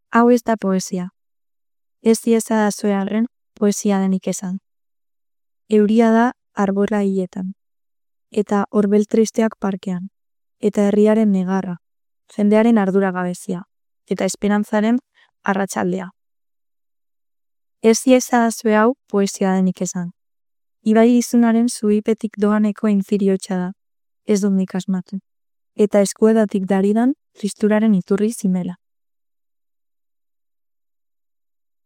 Hau ez da poesia. Ez diezadazue arren poesia denik esan. Euria da arbola hiletan, eta horbel tristeak parkean, eta herriaren negarra, jendearen arduragabezia, eta esperantzaren arratsaldea. Ez diezadazue hau poesia denik esan. Ibai izunaren zuipetik doaneko infiriotxa da, ez dut nik asmatu, eta eskuedatik daridan tristuraren iturri zimela.